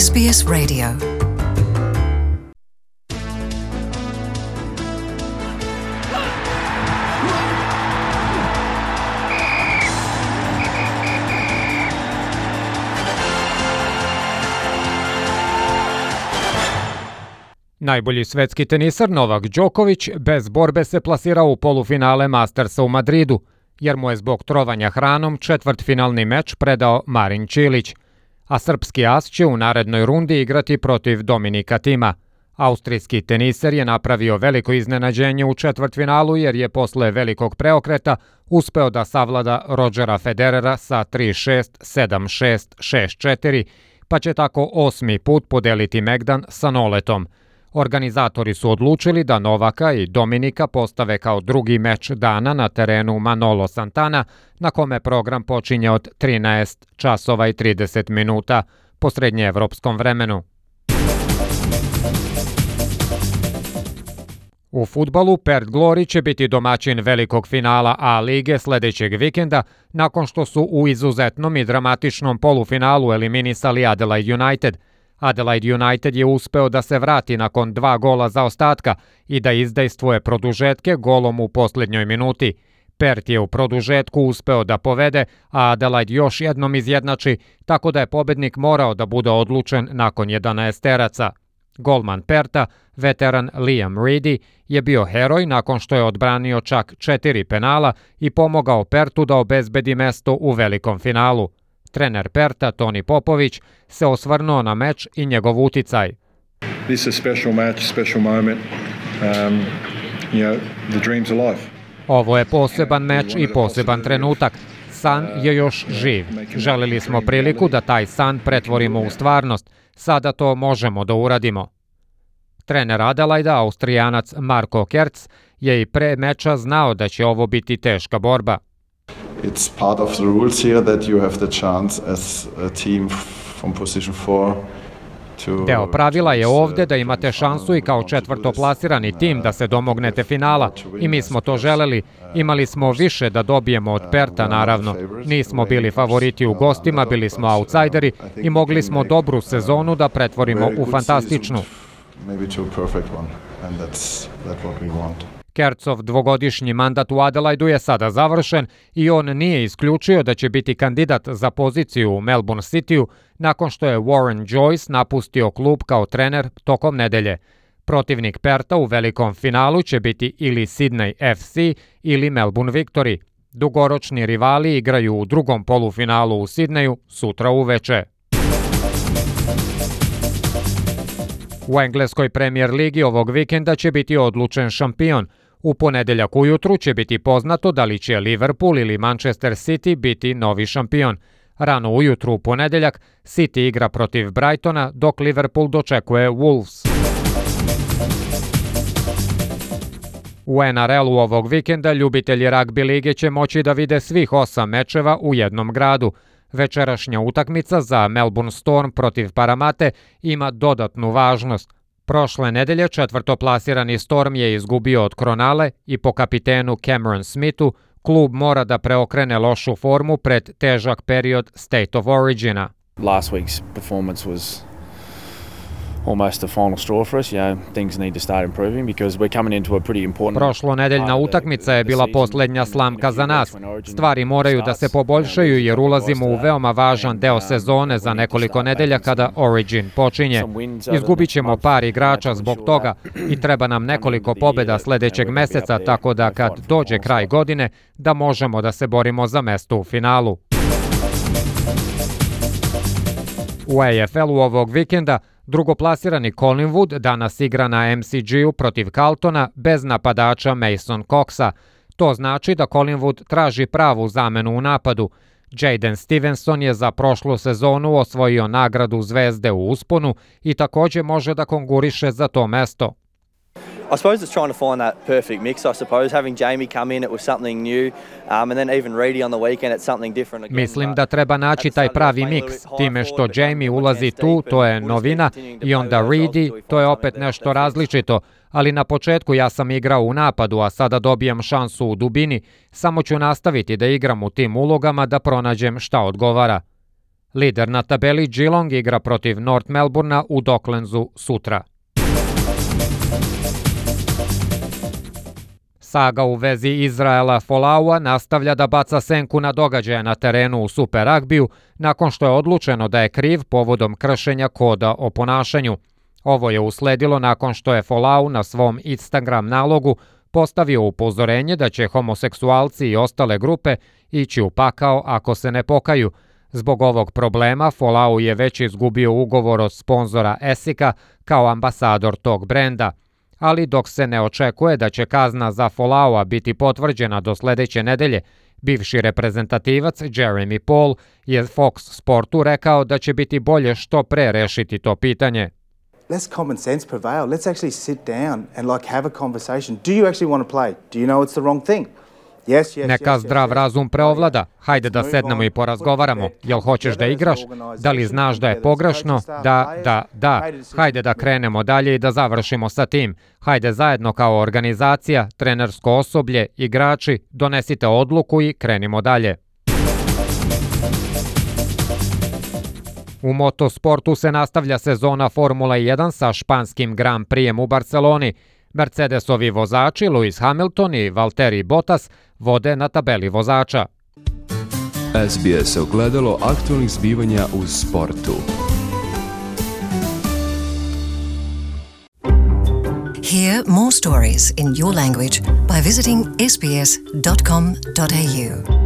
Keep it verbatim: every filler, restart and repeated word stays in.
S B S Radio. Najbolji svetski tenisar Novak Đoković bez borbe se plasirao u polufinale Mastersa u Madridu, jer mu je zbog trovanja hranom četvrtfinalni meč predao Marin Čilić, a srpski as će u narednoj rundi igrati protiv Dominika Tima. Austrijski teniser je napravio veliko iznenađenje u četvrtfinalu jer je posle velikog preokreta uspeo da savlada Rodgera Federera sa tri šest, sedam šest, šest četiri, pa će tako osmi put podeliti megdan sa Noletom. Organizatori su odlučili da Novaka i Dominika postave kao drugi meč dana na terenu Manolo Santana, na kome program počinje od trinaest časova i trideset minuta po srednjeevropskom vremenu. U fudbalu Perth Glory će biti domaćin velikog finala A lige sledećeg vikenda, nakon što su u izuzetnom i dramatičnom polufinalu eliminisali Adelaide United. Adelaide United je uspeo da se vrati nakon dva gola zaostatka i da izdejstvuje produžetke golom u posljednjoj minuti. Perth je u produžetku uspeo da povede, a Adelaide još jednom izjednači, tako da je pobednik morao da bude odlučen nakon jedanaesteraca. Golman Pertha, veteran Liam Reedy, je bio heroj nakon što je odbranio čak četiri penala i pomogao Perthu da obezbedi mesto u velikom finalu. Trener Pertha, Toni Popović, se osvrnuo na meč i njegov uticaj. This is a special match, special moment. Um, you know, the dream's alive. Ovo je poseban meč i poseban trenutak. San je još živ. Želeli smo priliku da taj san pretvorimo u stvarnost. Sada to možemo da uradimo. Trener Adelaida, Austrijanac Marko Kerc, je i pre meča znao da će ovo biti teška borba. It's part of the rules here that you have the chance as a team from position four to... Deo pravila je ovde da imate šansu i kao četvrtoplasirani tim da se domognete finala i mi smo to želeli. Imali smo više da dobijemo od Pertha, naravno. Nismo bili favoriti u gostima, bili smo outsideri i mogli smo dobru sezonu da pretvorimo u fantastičnu. Kercov dvogodišnji mandat u Adelaidu je sada završen i on nije isključio da će biti kandidat za poziciju u Melbourne Cityu nakon što je Warren Joyce napustio klub kao trener tokom nedelje. Protivnik Pertha u velikom finalu će biti ili Sydney F C ili Melbourne Victory. Dugoročni rivali igraju u drugom polufinalu u Sidneju sutra uveče. U engleskoj Premier ligi ovog vikenda će biti odlučen šampion. U ponedeljak ujutru će biti poznato da li će Liverpool ili Manchester City biti novi šampion. Rano ujutru u ponedeljak City igra protiv Brightona, dok Liverpool dočekuje Wolves. U N R L-u ovog vikenda ljubitelji ragbi lige će moći da vide svih osam mečeva u jednom gradu. Večerašnja utakmica za Melbourne Storm protiv Paramate ima dodatnu važnost. Prošle nedelje četvrtoplasirani Storm je izgubio od Kronale i po kapitenu Cameron Smithu klub mora da preokrene lošu formu pred težak period State of Origina. Last week's performance was almost a final straw for us. You know, things need to start improving because we're coming into a pretty important... Prošlonedeljna utakmica je bila posljednja slamka za nas. Stvari moraju da se poboljšaju jer ulazimo u veoma važan deo sezone za nekoliko nedelja kada Origin počinje. Izgubit ćemo par igrača zbog toga i treba nam nekoliko pobjeda sledećeg meseca, tako da kad dođe kraj godine da možemo da se borimo za mesto u finalu. U A F L-u ovog vikenda drugoplasirani Collingwood danas igra na M C G-u protiv Carltona bez napadača Mason Coxa. To znači da Collingwood traži pravu zamenu u napadu. Jaden Stevenson je za prošlu sezonu osvojio nagradu Zvezde u usponu i također može da konkuriše za to mesto. I suppose it's trying to find that perfect mix, I suppose. Having Jamie come in, it was something new, um, and then even Reedy on the weekend, it's something different again. Mislim da treba naći taj pravi miks, time što Jamie ulazi tu, to je novina, i onda Reedy, to je opet nešto različito, ali na početku ja sam igrao u napadu, a sada dobijam šansu u dubini, samo ću nastaviti da igram u tim ulogama da pronađem šta odgovara. Lider na tabeli Geelong igra protiv North Melbournea u Docklandsu sutra. Saga u vezi Izraela Folaua nastavlja da baca senku na događaje na terenu u Super Ragbiju nakon što je odlučeno da je kriv povodom kršenja koda o ponašanju. Ovo je usledilo nakon što je Folau na svom Instagram nalogu postavio upozorenje da će homoseksualci i ostale grupe ići u pakao ako se ne pokaju. Zbog ovog problema Folau je već izgubio ugovor od sponzora Esika kao ambasador tog brenda. Ali dok se ne očekuje da će kazna za Folaua biti potvrđena do sledeće nedelje, bivši reprezentativac Jeremy Paul je Fox Sportu rekao da će biti bolje što pre rešiti to pitanje. Let's common sense prevail. Let's actually sit down and like have a conversation. Do you actually want to play? Do you know it's the wrong thing? Yes, yes, Neka yes, zdrav yes, razum preovlada. Hajde da sednemo i porazgovaramo. Jel hoćeš da igraš? Da li znaš da je pogrešno? Da, da, da. Hajde da krenemo dalje i da završimo sa tim. Hajde zajedno kao organizacija, trenersko osoblje, igrači, donesite odluku i krenimo dalje. U motosportu se nastavlja sezona Formule jedan sa španskim Grand Prixem u Barceloni. Mercedesovi vozači Lewis Hamilton i Valtteri Bottas vode na tabeli vozača. S B S ogledalo aktualnih zbivanja u sportu. Hear more stories in your language by visiting s b s dot com dot a u.